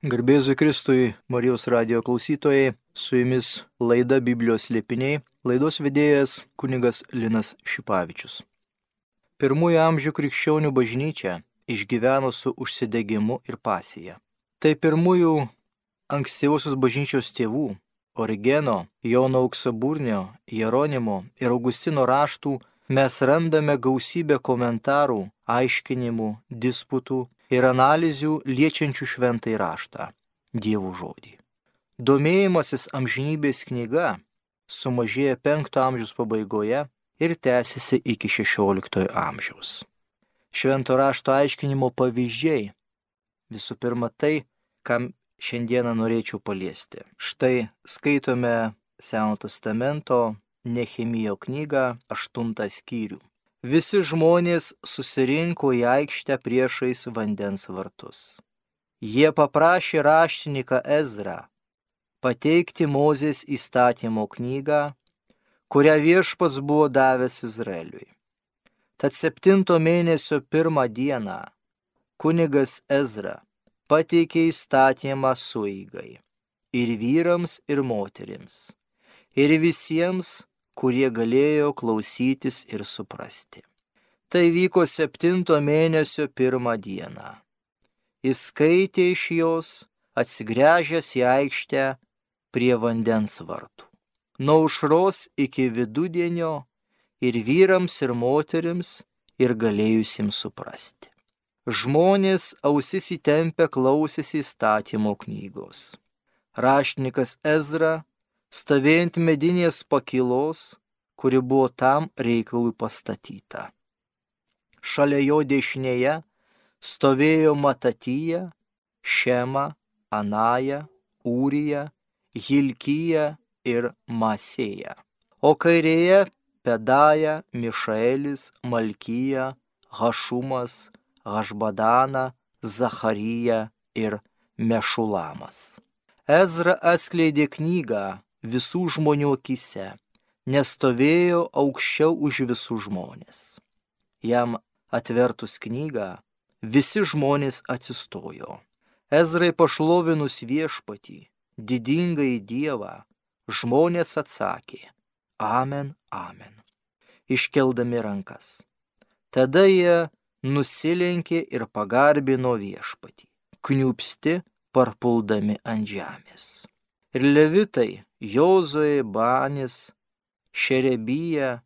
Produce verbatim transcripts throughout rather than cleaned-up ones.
Garbėzui Kristui, Marijos radijo klausytojai, su jumis laida Biblijos slėpiniai, laidos vedėjas kunigas Linas Šipavičius. Pirmųjų amžių krikščionių bažnyčia išgyveno su užsidegimu ir pasija. Tai pirmųjų ankstyvosios bažnyčios tėvų Origeno, Jono Auksaburnio, Jeronimo ir Augustino raštų mes randame gausybę komentarų, aiškinimų, disputų ir analizių liečiančių šventąjį raštą, Dievo žodį. Domėjimasis amžinybės knyga sumažėjo penkto amžiaus pabaigoje ir tęsiasi iki šešioliktojo amžiaus. Švento rašto aiškinimo pavyzdžiai. Visų pirma tai, kam šiandieną norėčiau paliesti. Štai skaitome Seno testamento Nehemijo knygą, aštuntą skyrių. Visi žmonės susirinko į aikštę priešais vandens vartus. Jie paprašė raštininką Ezrą pateikti Mozės įstatymo knygą, kurią Viešpats buvo davęs Izraeliui. Tad septinto mėnesio pirmą dieną kunigas Ezra pateikė įstatymą sueigai ir vyrams, ir moterims, ir visiems, kurie galėjo klausytis ir suprasti. Tai vyko septinto mėnesio pirmą dieną. Jis skaitė iš jos, atsigręžęs į aikštę prie vandens vartų. Nuo aušros iki vidudienio ir vyrams, ir moterims, ir galėjusiems suprasti. Žmonės ausis įtempę klausėsi įstatymo knygos. Raštininkas Ezra stovėjant medinės pakylos, kuri buvo tam reikalui pastatyta. Šalia jo dešinėje stovėjo Matatija, Šema, Anaja, Ūrija, Hilkija ir Masėja, o kairėje Pedaja, Mišaelis, Malkija, Hašumas, Hašbadana, Zacharija ir Mešulamas. Ezra atskleidė knygą visų žmonių akyse, nes stovėjo aukščiau už visų žmonės. Jam atvertus knygą, visi žmonės atsistojo. Ezrai pašlovinus Viešpatį, didingąjį Dievą, žmonės atsakė: Amen, amen, iškeldami rankas. Tada jie nusilenkė ir pagarbino Viešpatį, kniūpsti parpuldami ant žemės. Ir levitai Jozuė, Banis, Šerebija,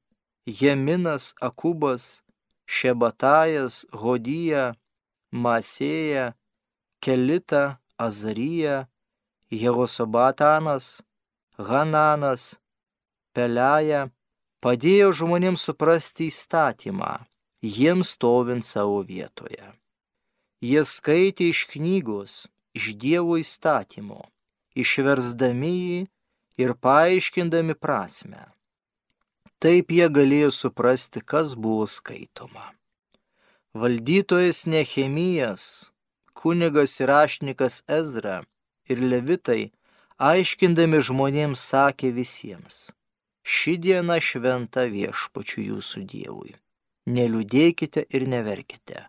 Jeminas, Akubas, Šebatajas, Hodija, Masėja, Kelita, Azarija, Jehosabatanas, Hananas, Pelaja padėjo žmonėms suprasti įstatymą, jiems stovint savo vietoje. Jie skaitė iš knygos, iš Dievo įstatymo, išversdami jį ir paaiškindami prasmę. Taip jie galėjo suprasti, kas buvo skaitoma. Valdytojas Nehemijas, kunigas ir raštininkas Ezra ir levitai, aiškindami žmonėms, sakė visiems: ši diena šventa Viešpačiui jūsų Dievui. Neliūdėkite ir neverkite.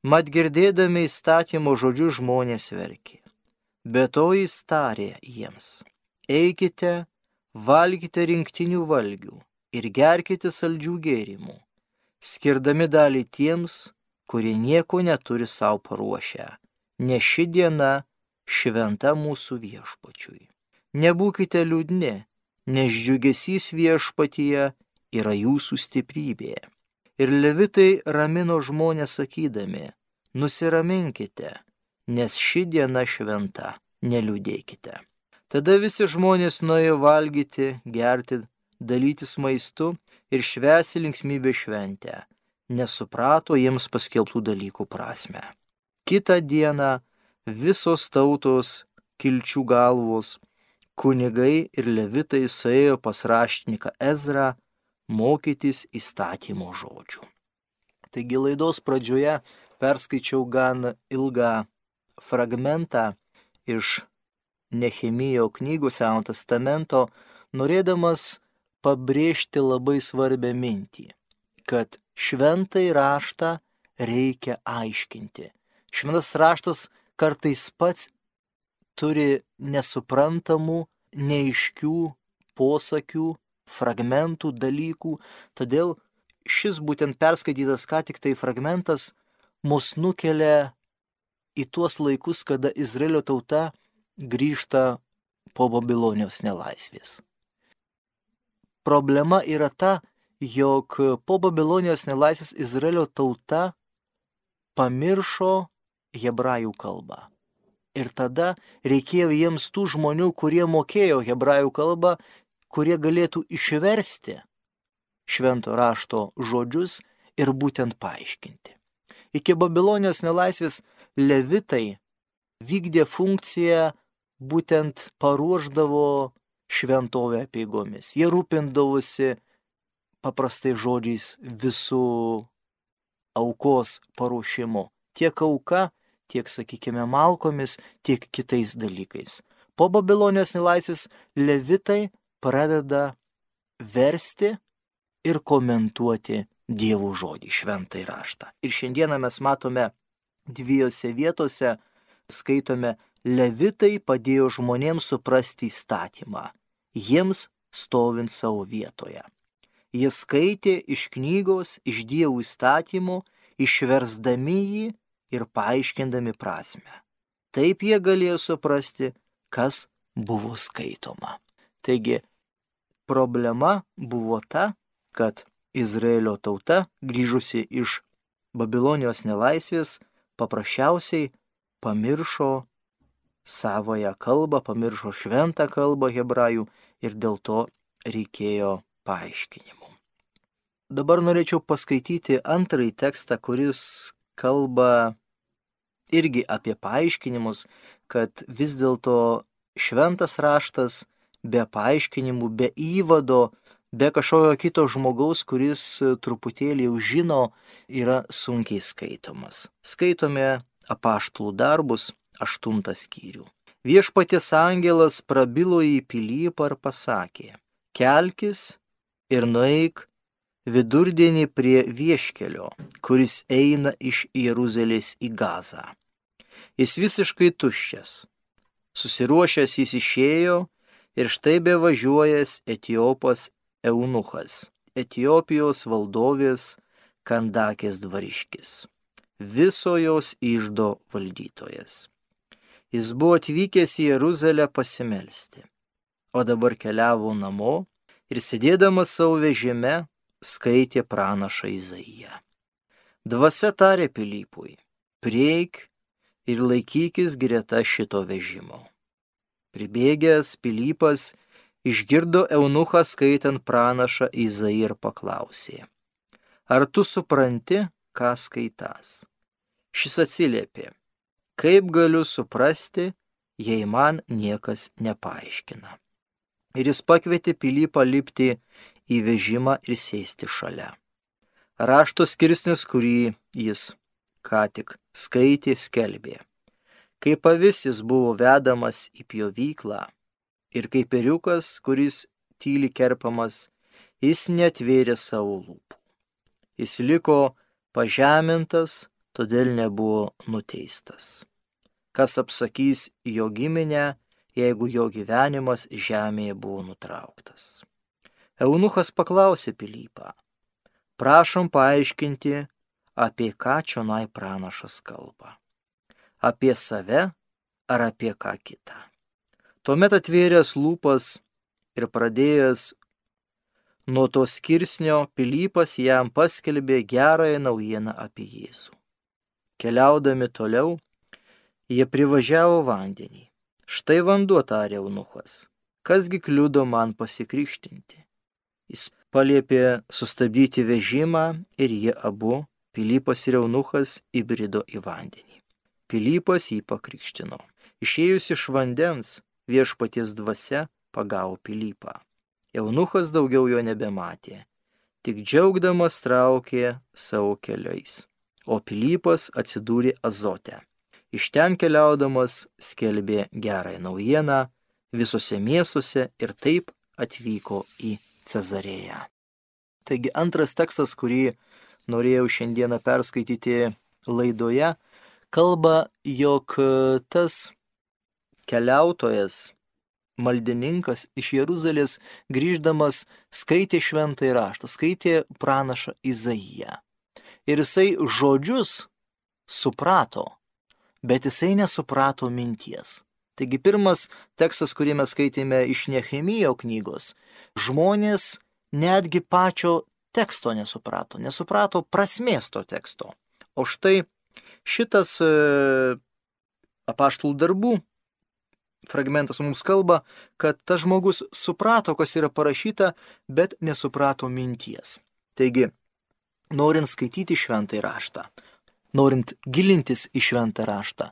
Mat girdėdami įstatymo žodžius žmonės verkė. Be to jis tarė jiems: eikite, valgykite rinktinių valgių ir gerkite saldžių gėrimų, skirdami dalį tiems, kurie nieko neturi savo paruošę, nes ši diena šventa mūsų Viešpačiui. Nebūkite liūdni, nes džiugesys Viešpatyje yra jūsų stiprybė. Ir levitai ramino žmonės sakydami: nusiraminkite, nes ši diena šventa, neliūdėkite. Tada visi žmonės nuėjo valgyti, gerti, dalytis maistu ir švęsti linksmybę šventę, nes suprato jiems paskelbtų dalykų prasmę. Kitą dieną visos tautos, kilčių galvos, kunigai ir levitai suėjo pas raštininką Ezrą mokytis įstatymo žodžių. Taigi laidos pradžioje perskaičiau gan ilgą fragmentą iš Nehemijo knygos Seno testamento, norėdamas pabrėžti labai svarbią mintį, kad šventąjį raštą reikia aiškinti. Šventas raštas kartais pats turi nesuprantamų, neaiškių posakių, fragmentų, dalykų. Todėl šis būtent perskaitytas ką tik tai fragmentas mus nukelia į tuos laikus, kada Izraelio tauta grįžta po Babilonijos nelaisvės. Problema yra ta, jog po Babilonijos nelaisvės Izraelio tauta pamiršo hebrajų kalbą. Ir tada reikėjo jiems tų žmonių, kurie mokėjo hebrajų kalbą, kurie galėtų išversti švento rašto žodžius ir būtent paaiškinti. Iki Babilonijos nelaisvės levitai vykdė funkciją, būtent paruošdavo šventovę apeigomis. Jie rūpindavosi paprastai žodžiais visų aukos paruošimu. Tiek auka, tiek, sakykime, malkomis, tiek kitais dalykais. Po Babilonijos nelaisvės levitai pradeda versti ir komentuoti Dievo žodį, šventąjį raštą. Ir šiandieną mes matome dviejose vietose, skaitome, levitai padėjo žmonėms suprasti įstatymą, jiems stovint savo vietoje. Jie skaitė iš knygos, iš Dievo įstatymų, išversdami jį ir paaiškindami prasmę. Taip jie galėjo suprasti, kas buvo skaitoma. Taigi, problema buvo ta, kad Izraelio tauta, grįžusi iš Babilonijos nelaisvės, paprasčiausiai pamiršo savąją kalbą, pamiršo šventą kalbą hebrajų ir dėl to reikėjo paaiškinimų. Dabar norėčiau paskaityti antrąjį tekstą, kuris kalba irgi apie paaiškinimus, kad vis dėlto šventas raštas be paaiškinimų, be įvado, be kažkokio kito žmogaus, kuris truputėlį jau žino, yra sunkiai skaitomas. Skaitome apaštalų darbus, aštuntą skyrių. Viešpaties angelas prabilo į Pilypą ir pasakė: kelkis ir nueik vidurdienį prie vieškelio, kuris eina iš Jeruzalės į Gazą. Jis visiškai tuščias. Susiruošęs jis išėjo ir štai bevažiuojas Etiopas eunuchas, Etiopijos valdovės Kandakės dvariškis, viso jos iždo valdytojas. Jis buvo atvykęs į Jeruzalę pasimelsti, o dabar keliavo namo ir sėdėdamas savo vežime skaitė pranašą Izaiją. Dvasia tarė Pilypui: prieik ir laikykis greta šito vežimo. Pribėgęs Pilypas išgirdo eunuchą skaitant pranašą Izaiją ir paklausė: ar tu supranti, ką skaitas? Šis atsiliepė: kaip galiu suprasti, jei man niekas nepaaiškina. Ir jis pakvietė Pilypą lipti į vežimą ir sėsti šalia. Rašto skirsnis, kurį jis ką tik skaitė, skelbė: kaip avis jis buvo vedamas į pjovyklą, ir kaip ėriukas, kuris tyli kerpamas, jis netvėrė savo lūpų. Jis liko pažemintas, todėl nebuvo nuteistas. Kas apsakys jo giminę, jeigu jo gyvenimas žemėje buvo nutrauktas? Eunuchas paklausė Pilypą: prašom paaiškinti, apie ką čionai pranašas kalba. Apie save ar apie ką kitą? Tuomet atvėręs lūpas ir pradėjęs nuo to skirsnio, Pilypas jam paskelbė gerąją naujieną apie Jėzų. Keliaudami toliau, jie privažiavo vandenį. Štai vanduo, tarė eunuchas, kasgi kliudo man pasikrikštinti? Jis paliepė sustabdyti vežimą ir jie abu, Pilypas ir eunuchas, įbrido į vandenį. Pilypas jį pakrikštino. Išėjus iš vandens, viešpaties dvasia pagavo Pilypą. Eunuchas daugiau jo nebematė, tik džiaugdamas traukė savo keliais, o Pilypas atsidūrė Azote. Iš ten keliaudamas skelbė gerąją naujieną visose miestuose ir taip atvyko į Cezarėją. Taigi antras tekstas, kurį norėjau šiandieną perskaityti laidoje, kalba, jog tas keliautojas, maldininkas iš Jeruzalės grįždamas skaitė šventąjį raštą, skaitė pranašą Izaiją. Ir jisai žodžius suprato, bet jisai nesuprato minties. Taigi pirmas tekstas, kurį mes skaitėme iš Nehemijo knygos, žmonės netgi pačio teksto nesuprato, nesuprato prasmės to teksto. O štai šitas e, apaštalų darbų fragmentas mums kalba, kad tas žmogus suprato, kas yra parašyta, bet nesuprato minties. Taigi, norint skaityti šventąjį raštą, norint gilintis į šventą raštą,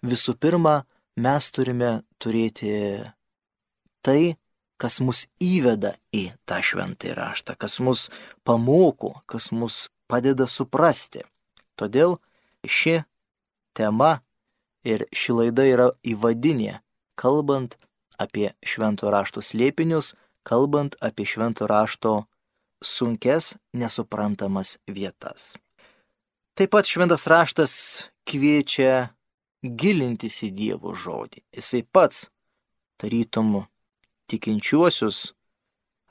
visų pirma, mes turime turėti tai, kas mus įveda į tą šventąjį raštą, kas mus pamoko, kas mus padeda suprasti. Todėl ši tema ir ši laida yra įvadinė, kalbant apie švento rašto slėpinius, kalbant apie švento rašto sunkes, nesuprantamas vietas. Taip pat šventas raštas kviečia gilintis į Dievo žodį. Jisai pats, tarytum tikinčiuosius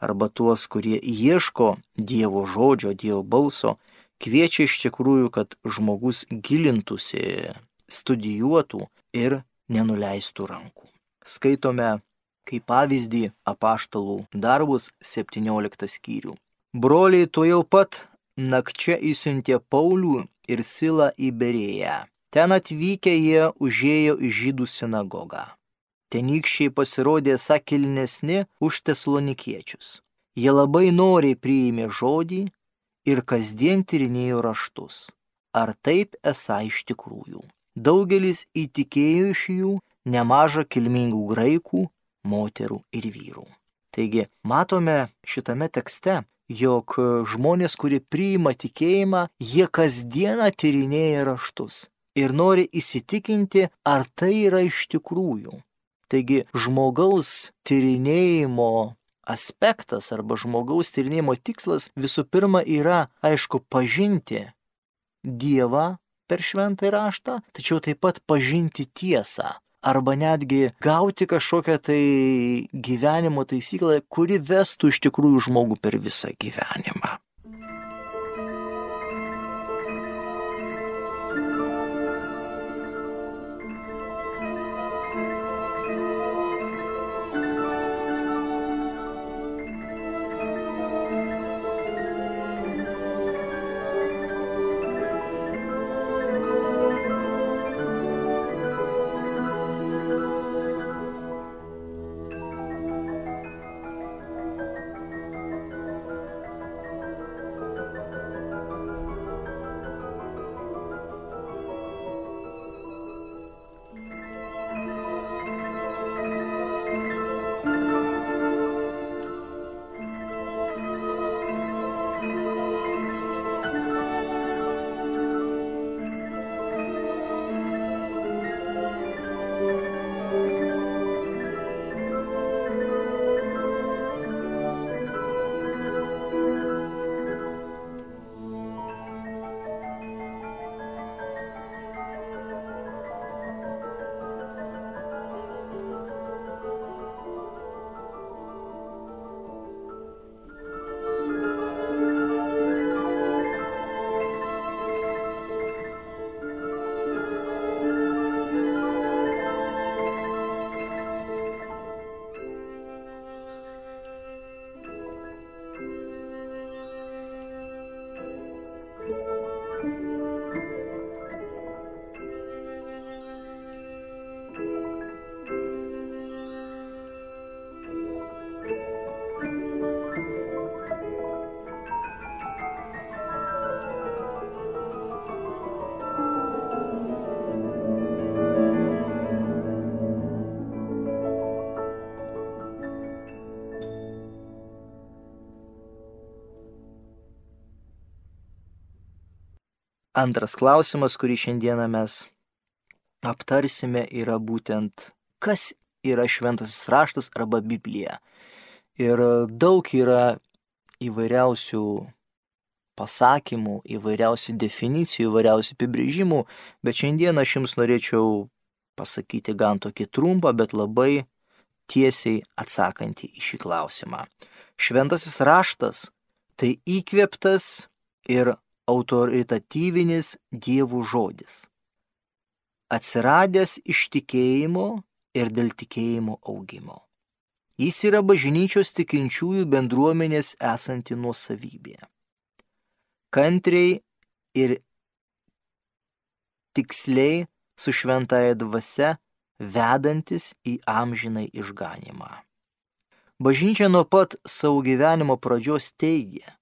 arba tuos, kurie ieško Dievo žodžio, Dievo balso, kviečia iš tikrųjų, kad žmogus gilintųsi, studijuotų ir nenuleistų rankų. Skaitome kaip pavyzdį apaštalų darbus septynioliktą skyrių. Broliai tuojau pat nakčia įsiuntė Paulių ir Silą į Berėją. Ten atvykę jie užėjo į žydų sinagogą. Tenykščiai pasirodė esą kilnesni už tesalonikiečius. Jie labai noriai priėmė žodį ir kasdien tyrinėjo raštus. Ar taip esą iš tikrųjų? Daugelis įtikėjo iš jų, nemaža kilmingų graikų, moterų ir vyrų. Taigi, matome šitame tekste, jog žmonės, kurie priima tikėjimą, jie kasdieną tyrinėja raštus ir nori įsitikinti, ar tai yra iš tikrųjų. Taigi, žmogaus tyrinėjimo aspektas arba žmogaus tyrinėjimo tikslas visų pirma yra, aišku, pažinti Dievą per šventąjį raštą, tačiau taip pat pažinti tiesą arba netgi gauti kažkokią tai gyvenimo taisyklę, kuri vestų iš tikrųjų žmogų per visą gyvenimą. Antras klausimas, kurį šiandieną mes aptarsime, yra būtent, kas yra šventasis raštas arba Biblija. Ir daug yra įvairiausių pasakymų, įvairiausių definicijų, įvairiausių apibrėžimų, bet šiandieną aš jums norėčiau pasakyti gan tokį trumpą, bet labai tiesiai atsakantį į šį klausimą. Šventasis raštas tai įkvėptas ir autoritatyvinis Dievo žodis, atsiradęs iš tikėjimo ir dėl tikėjimo augimo. Jis yra bažnyčios tikinčiųjų bendruomenės esanti nuosavybė. Kantriai ir tiksliai su šventąja dvasia vedantis į amžinai išganymą. Bažnyčia nuo pat savo gyvenimo pradžios teigia,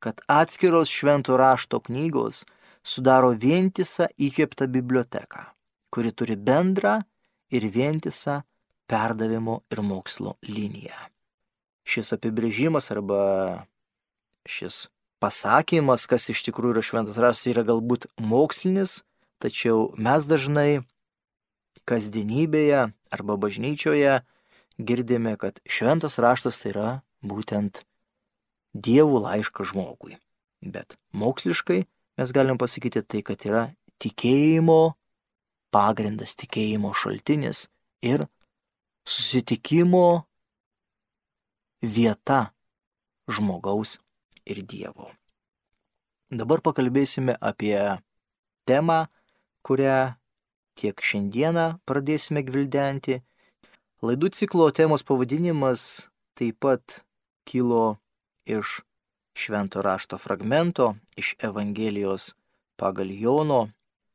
kad atskiros švento rašto knygos sudaro vientisą įkvėptą biblioteką, kuri turi bendrą ir vientisą perdavimo ir mokslo liniją. Šis apibrėžimas arba šis pasakymas, kas iš tikrųjų yra šventas raštas, yra galbūt mokslinis, tačiau mes dažnai kasdienybėje arba bažnyčioje girdime, kad šventas raštas tai yra būtent Dievo laiškas žmogui. Bet moksliškai mes galim pasakyti tai, kad yra tikėjimo pagrindas, tikėjimo šaltinis ir susitikimo vieta žmogaus ir Dievo. Dabar pakalbėsime apie temą, kurią tiek šiandieną pradėsime gvildenti. Laidų ciklo temos pavadinimas taip pat kilo iš švento rašto fragmento, iš Evangelijos pagal Jono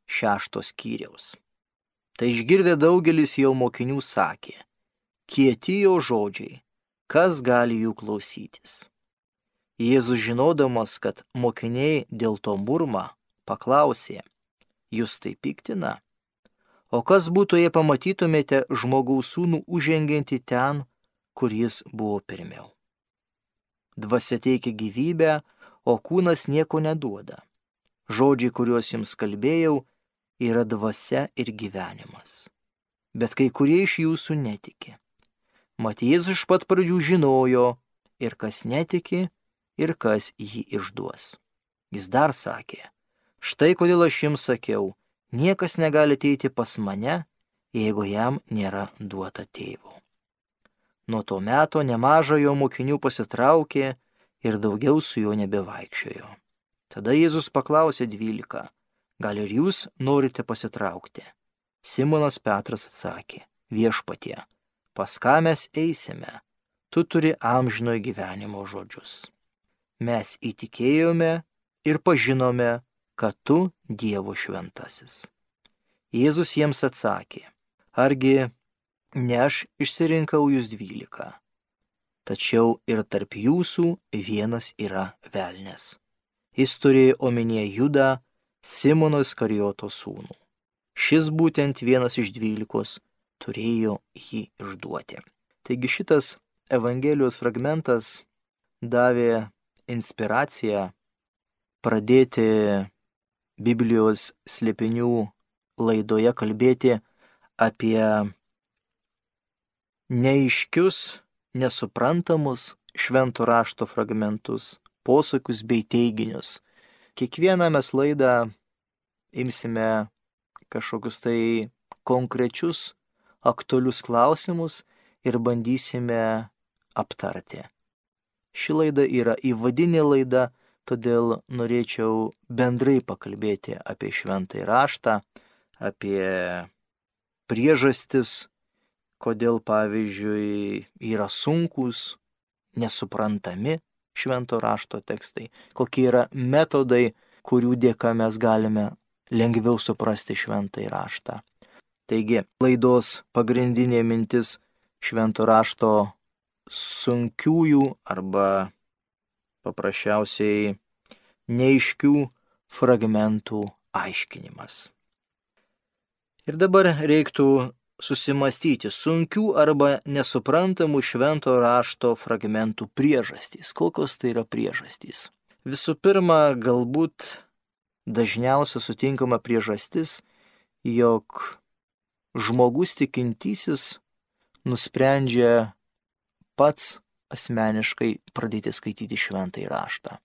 šešto skyriaus. Tai išgirdę daugelis jo mokinių sakė, kieti jo žodžiai, kas gali jų klausytis. Jėzus žinodamas, kad mokiniai dėl to murma, paklausė, jūs tai piktina? O kas būtų, jei pamatytumėte žmogaus sūnų užžengiantį ten, kur jis buvo pirmiau? Dvasia teikia gyvybę, o kūnas nieko neduoda. Žodžiai, kuriuos jums kalbėjau, yra dvasia ir gyvenimas. Bet kai kurie iš jūsų netiki. Mat Jėzus iš pat pradžių žinojo, ir kas netiki, ir kas jį išduos. Jis dar sakė, štai kodėl aš jums sakiau, niekas negali ateiti pas mane, jeigu jam nėra duota tėvo. Nuo to meto nemaža jo mokinių pasitraukė ir daugiau su juo nebevaikščiojo. Tada Jėzus paklausė dvylika, gal ir jūs norite pasitraukti? Simonas Petras atsakė, viešpatie, pas ką mes eisime? Tu turi amžinojo gyvenimo žodžius. Mes įtikėjome ir pažinome, kad tu Dievo šventasis. Jėzus jiems atsakė, argi ne aš išsirinkau jūs dvylika, tačiau ir tarp jūsų vienas yra velnias. Jis turėjo omenyje Judą, Simono Iskarijoto sūnų. Šis būtent vienas iš dvylikos turėjo jį išduoti. Taigi šitas Evangelijos fragmentas davė inspiraciją pradėti Biblijos slėpinių laidoje kalbėti apie neaiškius, nesuprantamus švento rašto fragmentus, posakius bei teiginius. Kiekvieną mes laidą imsime kažkokius tai konkrečius, aktualius klausimus ir bandysime aptarti. Ši laida yra įvadinė laida, todėl norėčiau bendrai pakalbėti apie šventąjį raštą, apie priežastis, kodėl, pavyzdžiui, yra sunkūs, nesuprantami švento rašto tekstai, kokie yra metodai, kurių dėka mes galime lengviau suprasti šventąjį raštą. Taigi, laidos pagrindinė mintis švento rašto sunkiųjų arba paprasčiausiai neaiškių fragmentų aiškinimas. Ir dabar reiktų susimastyti sunkių arba nesuprantamų švento rašto fragmentų priežastys. Kokios tai yra priežastys? Visų pirma, galbūt dažniausia sutinkama priežastis, jog žmogus tikintysis nusprendžia pats asmeniškai pradėti skaityti šventąjį raštą.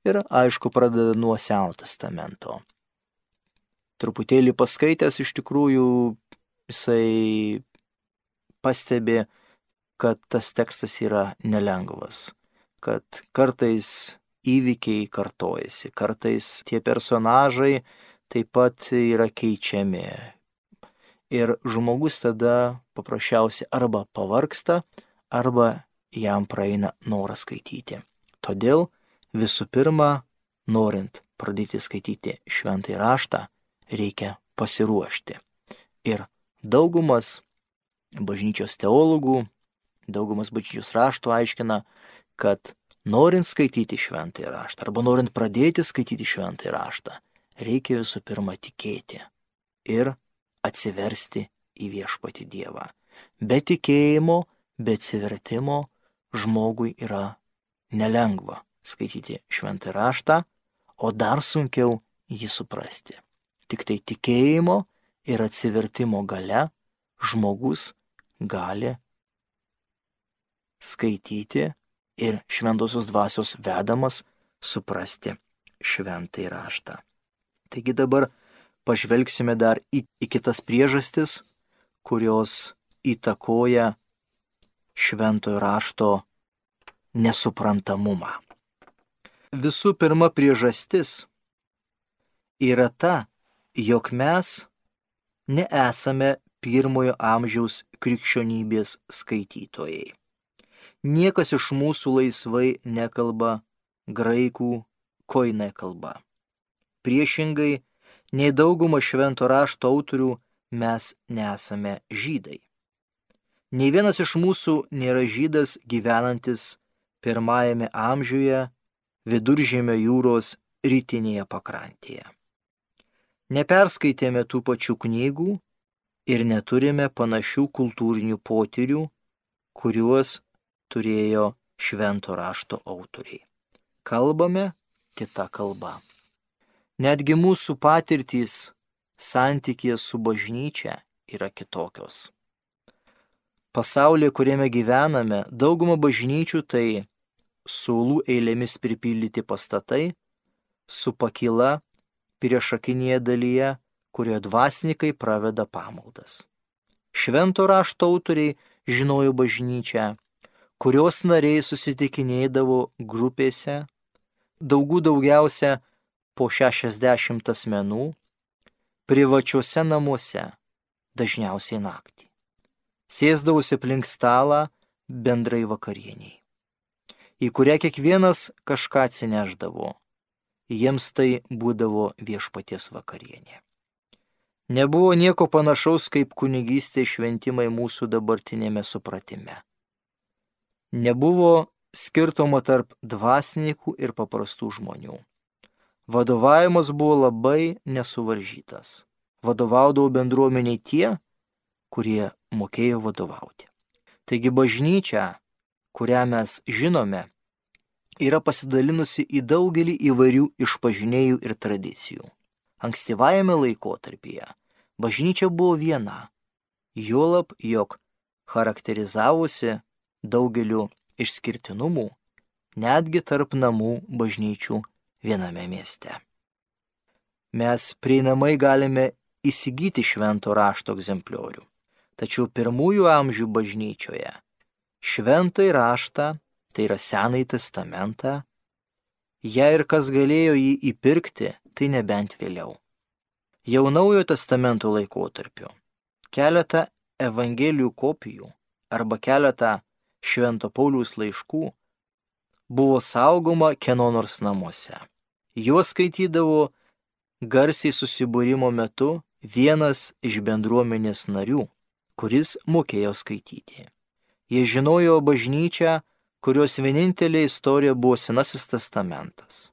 Ir aišku, pradeda nuo Senojo testamento. Truputėlį paskaitęs iš tikrųjų jisai pastebi, kad tas tekstas yra nelengvas, kad kartais įvykiai kartojasi, kartais tie personažai taip pat yra keičiami. Ir žmogus tada paprasčiausiai arba pavargsta, arba jam praeina noras skaityti. Todėl visų pirma, norint pradėti skaityti šventąjį raštą, reikia pasiruošti. Ir daugumas bažnyčios teologų, daugumas bažnyčios raštų aiškina, kad norint skaityti šventąjį raštą, arba norint pradėti skaityti šventąjį raštą, reikia visų pirma tikėti ir atsiversti į viešpatį Dievą. Be tikėjimo, be atsivertimo žmogui yra nelengva skaityti šventąjį raštą, o dar sunkiau jį suprasti. Tik tai tikėjimo ir atsivertimo gale žmogus gali skaityti ir šventosios dvasios vedamas suprasti šventąjį raštą. Taigi dabar pažvelgsime dar į, į kitas priežastis, kurios įtakoja šventojo rašto nesuprantamumą. Visų pirma priežastis yra ta, jog mes nesame pirmojo amžiaus krikščionybės skaitytojai. Niekas iš mūsų laisvai nekalba graikų koine kalba. Priešingai, nei dauguma švento rašto autorių mes nesame žydai. Nei vienas iš mūsų nėra žydas gyvenantis pirmajame amžiuje Viduržemio jūros rytinėje pakrantėje. Neperskaitėme tų pačių knygų ir neturime panašių kultūrinių potyrių, kuriuos turėjo švento rašto autoriai. Kalbame kita kalba. Netgi mūsų patirtys santykėje su bažnyčia yra kitokios. Pasaulyje, kuriame gyvename, dauguma bažnyčių tai suolų eilėmis pripildyti pastatai, su pakyla priešakinėje dalyje, kurioje dvasininkai praveda pamaldas. Švento rašto autoriai žinojo bažnyčią, kurios nariai susitikinėdavo grupėse, daugų daugiausia po šešiasdešimt asmenų, privačiuose namuose, dažniausiai naktį. Sėsdavosi aplink stalą bendrai vakarieniai, į kurią kiekvienas kažką atsineždavo. Jiems tai būdavo viešpaties vakarienė. Nebuvo nieko panašaus kaip kunigystė šventimai mūsų dabartinėme supratime. Nebuvo skirtumo tarp dvasininkų ir paprastų žmonių. Vadovavimas buvo labai nesuvaržytas. Vadovaudavo bendruomeniai tie, kurie mokėjo vadovauti. Taigi bažnyčia, kurią mes žinome, yra pasidalinusi į daugelį įvairių išpažinėjų ir tradicijų. Ankstyvajame laikotarpyje bažnyčia buvo viena, juolab, jog charakterizavosi daugeliu išskirtinumų, netgi tarp namų bažnyčių viename mieste. Mes prieinamai galime įsigyti švento rašto egzempliorių, tačiau pirmųjų amžių bažnyčioje šventąjį raštą, tai yra Senąjį testamentą, jei ir kas galėjo jį įpirkti, tai nebent vėliau. Jau Naujojo testamento laikotarpiu keletą evangelijų kopijų arba keletą Švento Pauliaus laiškų buvo saugoma kieno nors namuose. Juos skaitydavo garsiai susibūrimo metu vienas iš bendruomenės narių, kuris mokėjo skaityti. Jie žinojo bažnyčią, kurios vienintelė istorija buvo Senasis testamentas.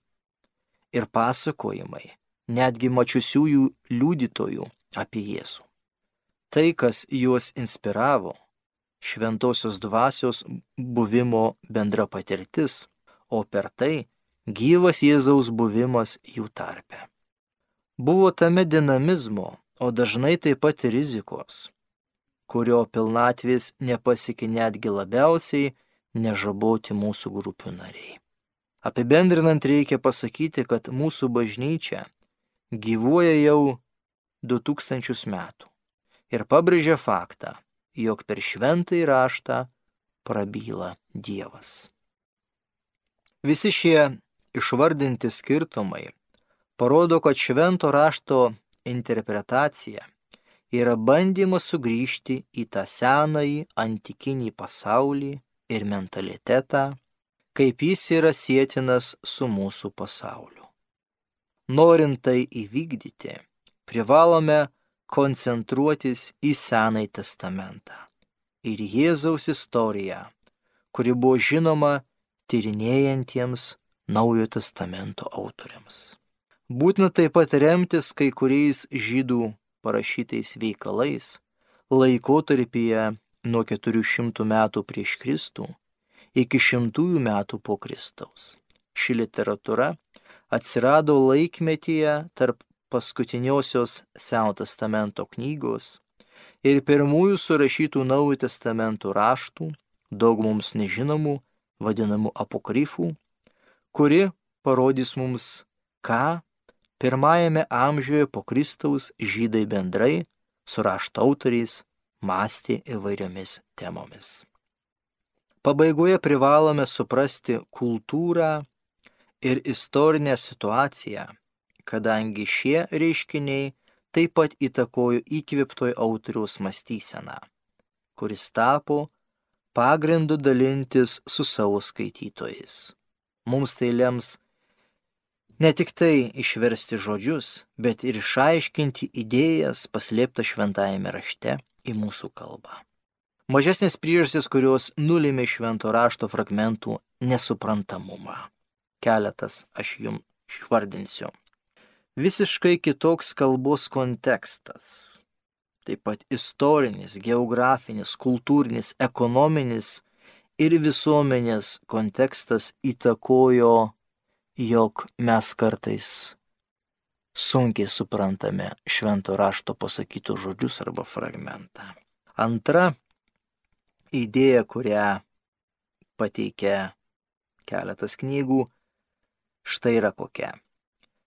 Ir pasakojimai, netgi mačiusiųjų liudytojų apie Jėzų. Tai, kas juos inspiravo, šventosios dvasios buvimo bendra patirtis, o per tai gyvas Jėzaus buvimas jų tarpe. Buvo tame dinamizmo, o dažnai taip pat ir rizikos, kurio pilnatvės nepasiekė netgi labiausiai nežaboti mūsų grupių nariai. Apibendrinant reikia pasakyti, kad mūsų bažnyčia gyvuoja jau du tūkstančius metų. ir pabrėžia faktą, jog per šventąjį raštą prabyla Dievas. Visi šie išvardinti skirtumai parodo, kad švento rašto interpretacija yra bandymas sugrįžti į tą senąjį antikinį pasaulį ir mentalitetą, kaip jis yra sietinas su mūsų pasauliu. Norint tai įvykdyti, privalome koncentruotis į Senąjį testamentą ir Jėzaus istoriją, kuri buvo žinoma tyrinėjantiems Naujojo testamento autoriams. Būtina taip pat remtis kai kuriais žydų parašytais veikalais laikotarpyje nuo keturių šimtų metų prieš Kristų iki šimtųjų metų po Kristaus. Ši literatūra atsirado laikmetyje tarp paskutiniosios Seno testamento knygos ir pirmųjų surašytų Naujojo testamento raštų, daug mums nežinomų, vadinamų apokrifų, kuri parodys mums, ką pirmajame amžiuje po Kristaus žydai bendrai su rašto autoriais mąstė įvairiomis temomis. Pabaigoje privalome suprasti kultūrą ir istorinę situaciją, kadangi šie reiškiniai taip pat įtakojo įkvėptojo autoriaus mąstyseną, kuris tapo pagrindu dalintis su savo skaitytojais. Mums tai lems ne tik tai išversti žodžius, bet ir išaiškinti idėjas paslėptas šventajame rašte į mūsų kalbą. Mažesnės priežastys, kurios nulėmė švento rašto fragmentų nesuprantamumą. Keletas aš jums išvardinsiu. Visiškai kitoks kalbos kontekstas, taip pat istorinis, geografinis, kultūrinis, ekonominis ir visuomenės kontekstas įtakojo, jog mes kartais sunkiai suprantame švento rašto pasakytus žodžius arba fragmentą. Antra idėja, kurią pateikia keletas knygų, štai yra kokia.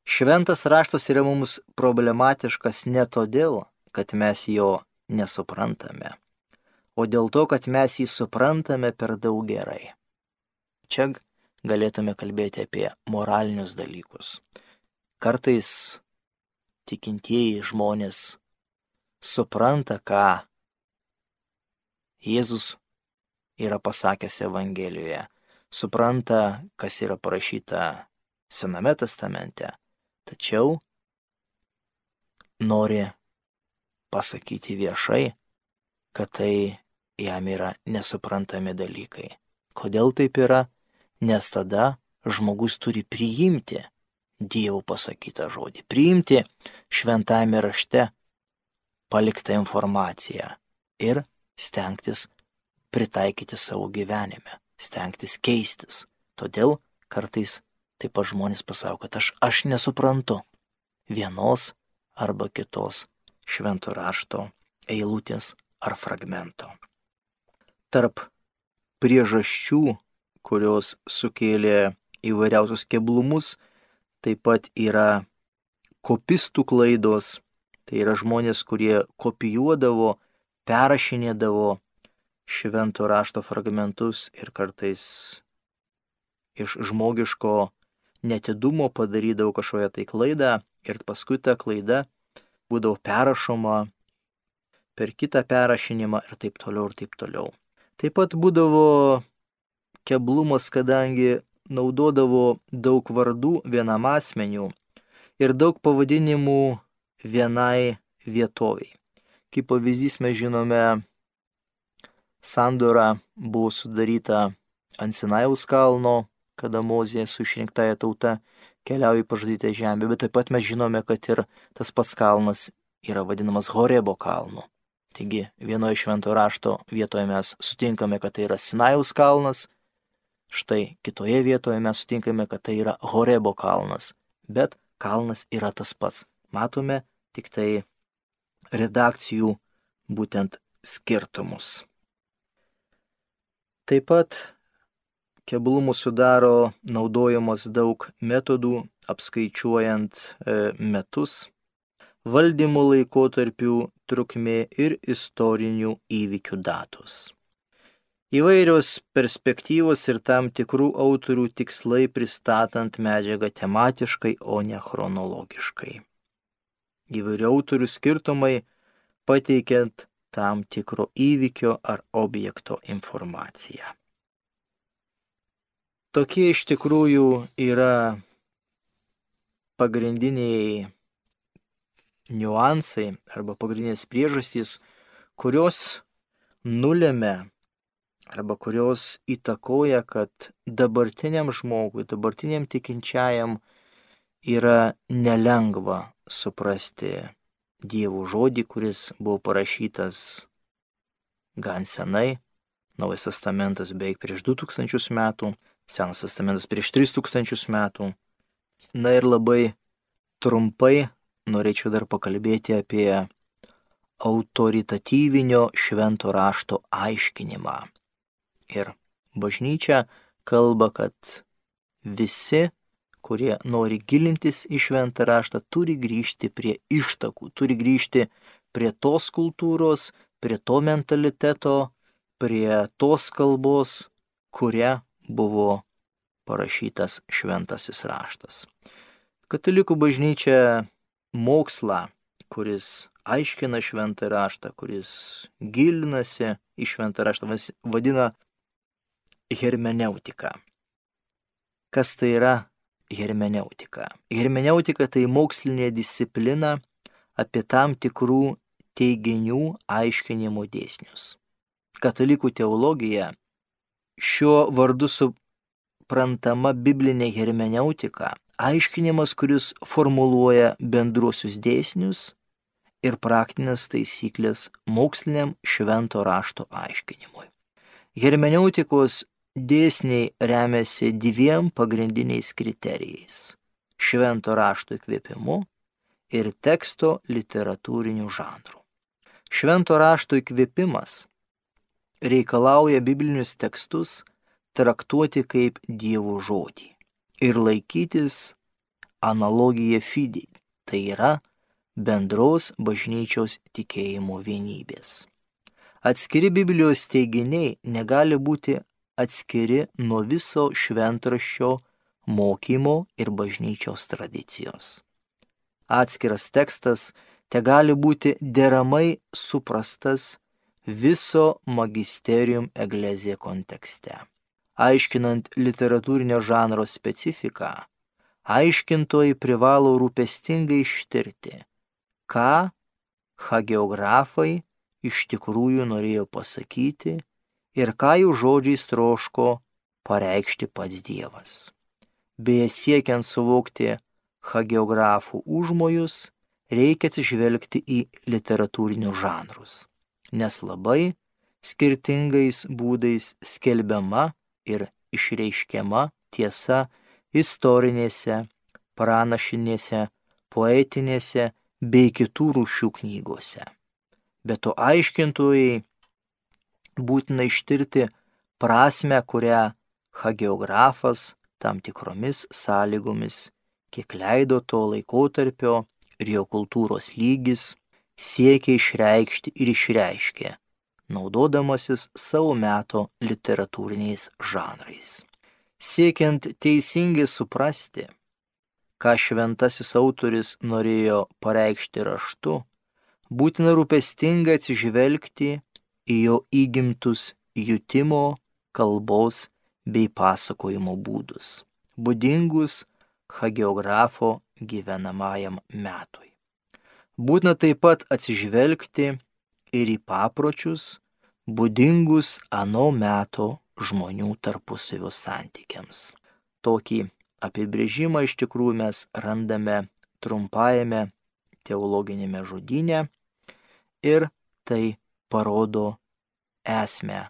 Šventas raštas yra mums problematiškas ne todėl, kad mes jo nesuprantame, o dėl to, kad mes jį suprantame per daug gerai. Čia galėtume kalbėti apie moralinius dalykus. Kartais tikintieji žmonės supranta, ką Jėzus yra pasakęs Evangelijoje, supranta, kas yra parašyta Sename testamente, tačiau nori pasakyti viešai, kad tai jam yra nesuprantami dalykai. Kodėl taip yra? Nes tada žmogus turi priimti Dievo pasakytą žodį, priimti šventajame rašte paliktą informaciją ir stengtis pritaikyti savo gyvenime, stengtis keistis. Todėl kartais taip pat žmonės pasako, kad aš, aš nesuprantu vienos arba kitos švento rašto eilutės ar fragmento. Tarp priežasčių, kurios sukėlė įvairiausius keblumus, taip pat yra kopistų klaidos, tai yra žmonės, kurie kopijuodavo, perrašinėdavo švento rašto fragmentus ir kartais iš žmogiško netidumo padarydavo kažkokią tai klaidą ir paskui ta klaida būdavo perrašoma per kitą perrašinimą ir taip toliau ir taip toliau. Taip pat būdavo keblumas, kadangi naudodavo daug vardų vienam asmeniu ir daug pavadinimų vienai vietoviai. Kaip pavyzdys mes žinome, sandora buvo sudaryta ant Sinajaus kalno, kada Mozė su išrinktąja tauta keliauja į pažadytą žemę, bet taip pat mes žinome, kad ir tas pats kalnas yra vadinamas Horebo kalnu. Taigi vienoje švento rašto vietoje mes sutinkame, kad tai yra Sinajaus kalnas, štai kitoje vietoje mes sutinkame, kad tai yra Horebo kalnas, bet kalnas yra tas pats. Matome tik tai redakcijų būtent skirtumus. Taip pat keblumų sudaro naudojamos daug metodų apskaičiuojant e, metus. Valdymo laikotarpių trukmė ir istorinių įvykių datos. Įvairios perspektyvos ir tam tikrų autorių tikslai pristatant medžiagą tematiškai, o ne chronologiškai. Įvairių autorių skirtumai pateikiant tam tikro įvykio ar objekto informaciją. Tokie iš tikrųjų yra pagrindiniai niuansai arba pagrindinės priežastys, kurios nulėmė arba kurios įtakoja, kad dabartiniam žmogui, dabartiniam tikinčiajam yra nelengva suprasti Dievo žodį, kuris buvo parašytas gan senai, Naujas testamentas beveik prieš du tūkstančius metų, Senas testamentas prieš tris tūkstančius metų. Na ir labai trumpai norėčiau dar pakalbėti apie autoritatyvinio švento rašto aiškinimą. Ir bažnyčia kalba, kad visi, kurie nori gilintis į šventą raštą, turi grįžti prie ištakų, turi grįžti prie tos kultūros, prie to mentaliteto, prie tos kalbos, kuria buvo parašytas šventasis raštas. Katalikų bažnyčia mokslą, kuris aiškina šventą raštą, kuris gilinasi į šventą raštą, vadina hermeneutika. Kas tai yra hermeneutika? Hermeneutika tai mokslinė disciplina apie tam tikrų teiginių aiškinimo dėsnius. Katalikų teologija šiuo vardu suprantama biblinė hermeneutika, aiškinimas, kuris formuluoja bendruosius dėsnius ir praktinės taisyklės moksliniam švento rašto aiškinimui. Hermeneutikos dėsniai remiasi dviem pagrindiniais kriterijais – švento rašto įkvėpimu ir teksto literatūriniu žanru. Švento rašto įkvėpimas reikalauja biblinius tekstus traktuoti kaip Dievo žodį ir laikytis analogija fidei, tai yra bendros bažnyčios tikėjimo vienybės. Atskiri Biblijos teiginiai negali būti atskiri nuo viso šventraščio mokymo ir bažnyčios tradicijos. Atskiras tekstas tegali būti deramai suprastas viso magisterium ecclesia kontekste. Aiškinant literatūrinio žanro specifiką, aiškintojai privalo rūpestingai ištirti, ką hagiografai iš tikrųjų norėjo pasakyti ir ką jų žodžiais troško pareikšti pats Dievas. Beje, siekiant suvokti hagiografų užmojus, reikia atsižvelgti į literatūrinius žanrus, nes labai skirtingais būdais skelbiama ir išreiškiama tiesa istorinėse, pranašinėse, poetinėse bei kitų rūšių knygose. Be to aiškintojai būtina ištirti prasmę, kurią hagiografas tam tikromis sąlygomis, kiek leido to laikotarpio ir jo kultūros lygis, siekia išreikšti ir išreiškė, naudodamasis savo meto literatūriniais žanrais. Siekiant teisingai suprasti, ką šventasis autoris norėjo pareikšti raštu, būtina rūpestingai atsižvelgti į jo įgimtus jutimo, kalbos bei pasakojimo būdus, būdingus hagiografo gyvenamajam metui. Būtina taip pat atsižvelgti ir į papročius, būdingus ano meto žmonių tarpusavio santykiams. Tokį apibrėžimą iš tikrųjų mes randame trumpajame teologinėme žodyne ir tai parodo esmę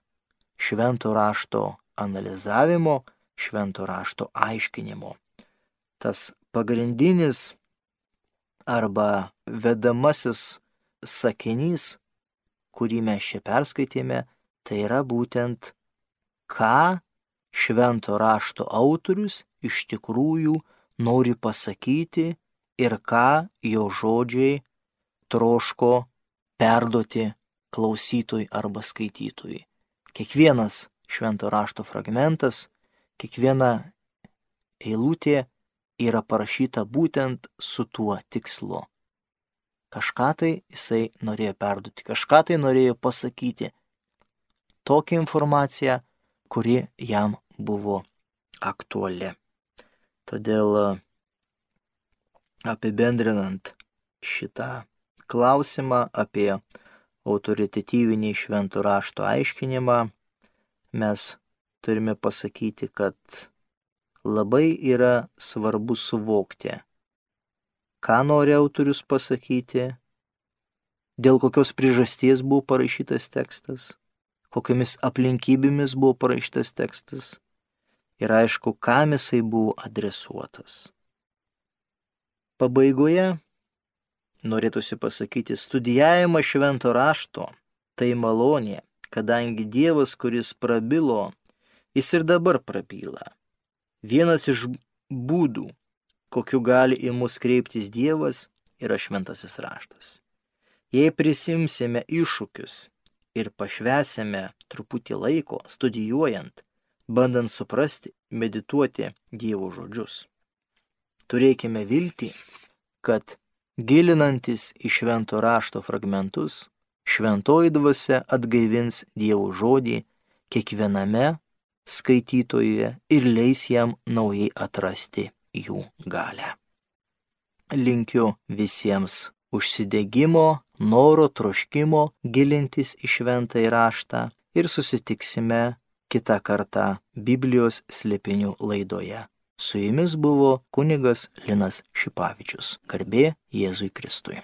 švento rašto analizavimo, švento rašto aiškinimo. Tas pagrindinis arba vedamasis sakinys, kurį mes čia perskaitėme, tai yra būtent, ką švento rašto autorius iš tikrųjų nori pasakyti ir ką jo žodžiai troško perduoti klausytojui arba skaitytojui. Kiekvienas švento rašto fragmentas, kiekviena eilutė yra parašyta būtent su tuo tikslu. Kažką tai jisai norėjo perduoti, kažką tai norėjo pasakyti. Tokią informaciją, kuri jam buvo aktuali. Todėl apibendrinant šitą klausimą apie autoritatyvinį švento rašto aiškinimą, mes turime pasakyti, kad labai yra svarbu suvokti, ką nori autorius pasakyti, dėl kokios priežasties buvo parašytas tekstas, kokiamis aplinkybėmis buvo parašytas tekstas ir aišku, kam jisai buvo adresuotas. Pabaigoje norėtųsi pasakyti, studijavimas švento rašto tai malonė, kadangi Dievas, kuris prabilo, jis ir dabar prabyla. Vienas iš būdų, kokiu gali į mus kreiptis Dievas, yra šventasis raštas. Jei prisimsime iššūkius ir pašvęsime truputį laiko studijuojant, bandant suprasti, medituoti Dievo žodžius, turėkime viltį, kad gilinantis į švento rašto fragmentus, šventoji dvasia atgaivins Dievo žodį kiekviename skaitytojuje ir leis jam naujai atrasti jų galią. Linkiu visiems užsidegimo, noro, troškimo gilintis į šventąjį raštą ir susitiksime kitą kartą Biblijos slėpinių laidoje. Su jumis buvo kunigas Linas Šipavičius. Garbė Jėzui Kristui.